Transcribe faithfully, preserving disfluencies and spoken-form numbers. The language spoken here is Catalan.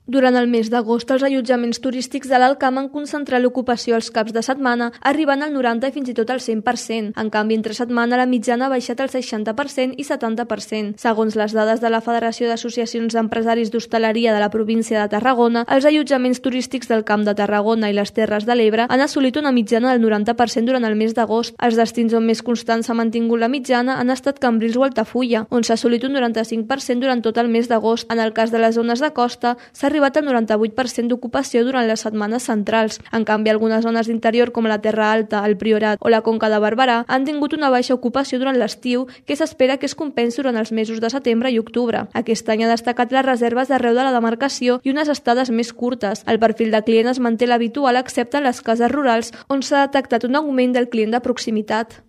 Durant el mes d'agost, els allotjaments turístics de l'Alt Camp han concentrat l'ocupació els caps de setmana, arribant al noranta i fins i tot al cent per cent. En canvi, entre setmana la mitjana ha baixat al seixanta per cent i setanta per cent. Segons les dades de la Federació d'Associacions d'Empresaris d'Hostaleria de la província de Tarragona, els allotjaments turístics del Camp de Tarragona i les Terres de l'Ebre han assolit una mitjana del noranta per cent durant el mes d'agost. Els destins on més constant s'ha mantingut la mitjana han estat Cambrils o Altafulla, on s'ha assolit un noranta-cinc per cent durant tot el mes d'agost. En el cas de les zones de costa, s'ha arribat al noranta-vuit per cent d'ocupació durant les setmanes centrals. En canvi, algunes zones d'interior com la Terra Alta, el Priorat o la Conca de Barberà han tingut una baixa ocupació durant l'estiu que s'espera que es compensi durant els mesos de setembre i octubre. Aquest any ha destacat les reserves d'arreu de la demarcació i unes estades més curtes. El perfil de client es manté l'habitual excepte en les cases rurals on s'ha detectat un augment del client de proximitat.